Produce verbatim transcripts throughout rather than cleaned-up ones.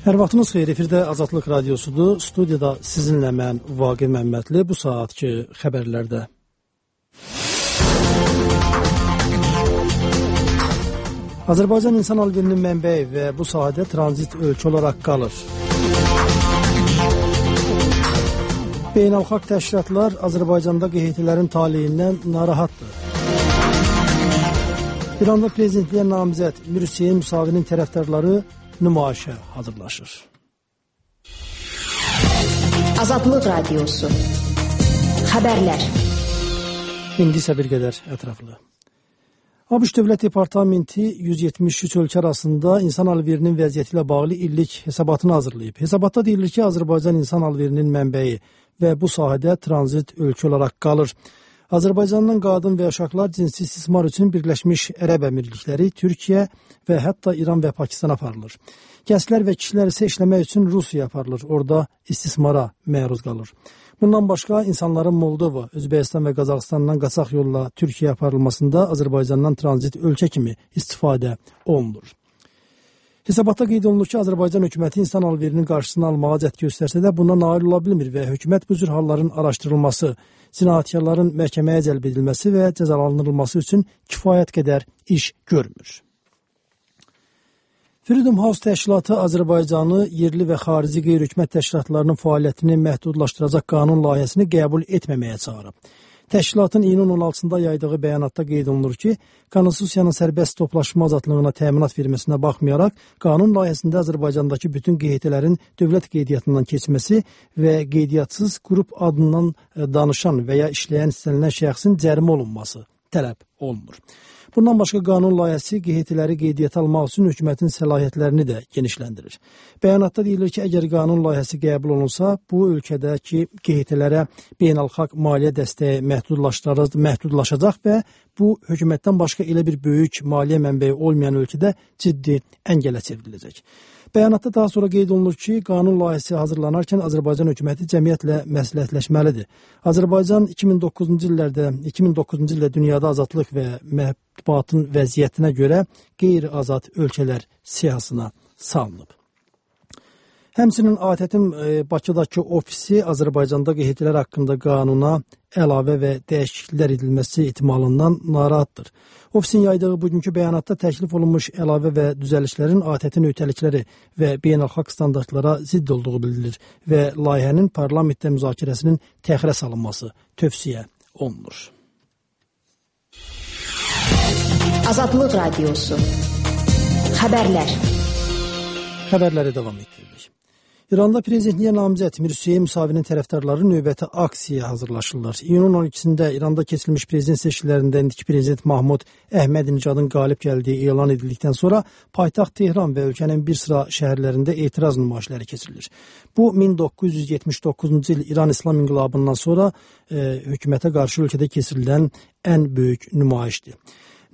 Hər vaxtınız xeyir, efirdə Azadlıq Radiosudur. Studiyada sizinlə mən Vaqif Məmmədli, bu saatki xəbərlərdə. Azərbaycan insan alverinin mənbəyi və bu sahədə tranzit ölkə olaraq qalır. Beynəlxalq təşkilatlar Azərbaycanda qeydilərin taleyindən narahatdır. İranda prezidentliyə namizəd Mir Hüseyn Musavinin tərəfdarları nümayişə hazırlaşır. Azadlıq Radiosu. Xəbərlər. İndi isə bir qədər ətraflı. ABŞ Dövlət Departamenti yüz yetmiş üç ölkə arasında insan alverinin vəziyyəti ilə bağlı illik hesabatını hazırlayıb. Hesabatda deyilir ki, Azərbaycan insan alverinin mənbəyi və bu sahədə tranzit ölkə olaraq qalır. Azərbaycandan qadın və uşaqlar cinsi istismar üçün Birləşmiş Ərəb Əmirlikləri, Türkiyə və hətta İran və Pakistan aparılır. Gənclər və kişilər isə işləmək üçün Rusiyaya aparılır, orada istismara məruz qalır. Bundan başqa insanların Moldova, Özbəkistan və Qazaxıstandan qaçaq yolla Türkiyəyə aparılmasında Azərbaycandan tranzit ölkə kimi istifadə olunur. Hesabatda qeyd olunur ki, Azərbaycan hökuməti insan alverinin qarşısını almağa cəhd göstərsə də buna nail ola bilmir və hökumət bu cür halların araşdırılması, cinayətkarların məhkəməyə cəlb edilməsi və cəzalandırılması üçün kifayət qədər iş görmür. Freedom House təşkilatı Azərbaycanı yerli və xarici qeyri-hökumət təşkilatlarının fəaliyyətini məhdudlaşdıracaq qanun layihəsini qəbul etməməyə çağırıb. Təşkilatın iyunun on altısında yaydığı bəyanatda qeyd olunur ki, Konstitusiyanın sərbəst toplaşma azadlığına təminat verməsinə baxmayaraq, qanun layihəsində Azərbaycandakı bütün qeydilərin dövlət qeydiyyatından keçməsi və qeydiyatsız qrup adından danışan və ya işləyən istənilən şəxsin cərimə olunması tələb olunur. Bundan başqa qanun layihəsi qeydiləri qeydiyyata almaq üçün hökumətin səlahiyyətlərini də genişləndirir. Bəyanatda deyilir ki, əgər qanun layihəsi qəbul olunsa, bu ölkədəki qeydilərə beynəlxalq maliyyə dəstəyi məhdudlaşacaq və bu hökumətdən başqa elə bir böyük maliyyə mənbəyi olmayan ölkədə ciddi əngələ çevriləcək. Bəyanatda daha sonra qeyd olunur ki, qanun layihəsi hazırlanarkən Azərbaycan hökuməti cəmiyyətlə məsləhətləşməlidir. Azərbaycan iki min doqquzuncu illərdə, iki min doqquzuncu ildə dünyada azadlıq və mətbuatın vəziyyətinə görə qeyri-azad ölkələr siyahısına salınıb. Həmçinin A T T-in Bakıdakı ofisi Azərbaycanda qeydlər haqqında qanuna əlavə və dəyişikliklər edilməsi ehtimalından narahatdır. Ofisin yaydığı bugünkü bəyanatda təklif olunmuş əlavə və düzəlişlərin A T T öhdəlikləri və beynəlxalq standartlara zidd olduğu bildirilir və layihənin parlamentdə müzakirəsinin təxirə salınması tövsiyə olunur. Azadlıq Radiosu. Xəbərlər. Xəbərləri davam etdiririk. İranda prezidentliyə namizəd Mir Hüseyn Musavinin tərəfdarları növbəti aksiyaya hazırlaşırlar. İyunun on ikisində İranda keçirilmiş prezident seçkilərində indiki prezident Mahmud Əhmədinəcadın qalib gəldiyi elan edildikdən sonra paytaxt Tehran və ölkənin bir sıra şəhərlərində etiraz nümayişləri keçirilir. Bu min doqquz yüz yetmiş doqquzuncu il İran İslam İnqilabından sonra e, hökumətə qarşı ölkədə keçirilən ən böyük nümayişdir.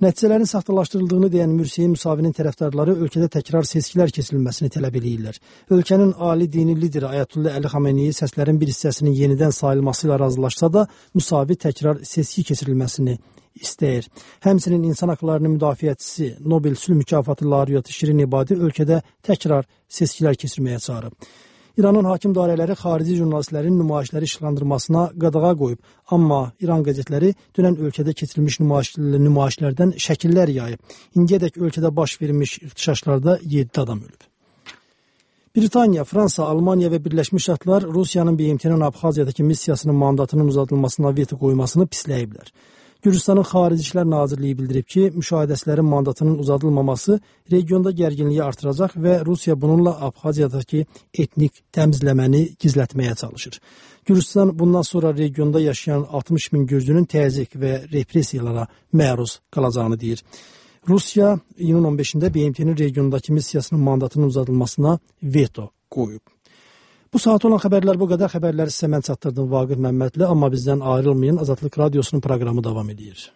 Nəticələrin saxtalaşdırıldığını deyən Mir Hüseyn Musavinin tərəfdarları ölkədə təkrar seçkilər keçirilməsini tələb edirlər. Ölkənin ali dini lideri Ayətullah Əli Xameneyi səslərin bir hissəsinin yenidən sayılması ilə razılaşsa da, Musavi təkrar seçki keçirilməsini istəyir. Həmçinin insan haqlarının müdafiəçisi Nobel sülh mükafatı laureatı Şirin İbadi ölkədə təkrar seçkilər keçirməyə çağırıb. İranın hakim dairələri xarici jurnalistlərin nümayişləri işıqlandırmasına qadağa qoyub, amma İran qəzetləri dünən ölkədə keçirilmiş nümayiş, nümayişlərdən şəkillər yayıb. İndiyədək ölkədə baş vermiş irtişaşlarda yeddi adam ölüb. Britaniya, Fransa, Almaniya və Birləşmiş Ştatlar Rusiyanın B M T-nin Abxaziyadakı missiyasının mandatının uzadılmasına veto qoymasını pisləyiblər. Gürcüstanın Xarici İşlər Nazirliyi bildirib ki, müşahidəçilərin mandatının uzadılmaması regionda gərginliyi artıracaq və Rusiya bununla Abxaziyadakı etnik təmizləməni gizlətməyə çalışır. Gürcüstan bundan sonra regionda yaşayan altmış min gürcünün təzyiq və repressiyalara məruz qalacağını deyir. Rusiya iyunun on beşində B M T-nin regiondakı missiyasının mandatının uzadılmasına veto qoyub. Bu saat olan xəbərlər bu qədər. Xəbərləri sizə mən çatdırdım Vaqif Məmmədli, amma bizdən ayrılmayın. Azadlıq Radiosunun proqramı davam edir.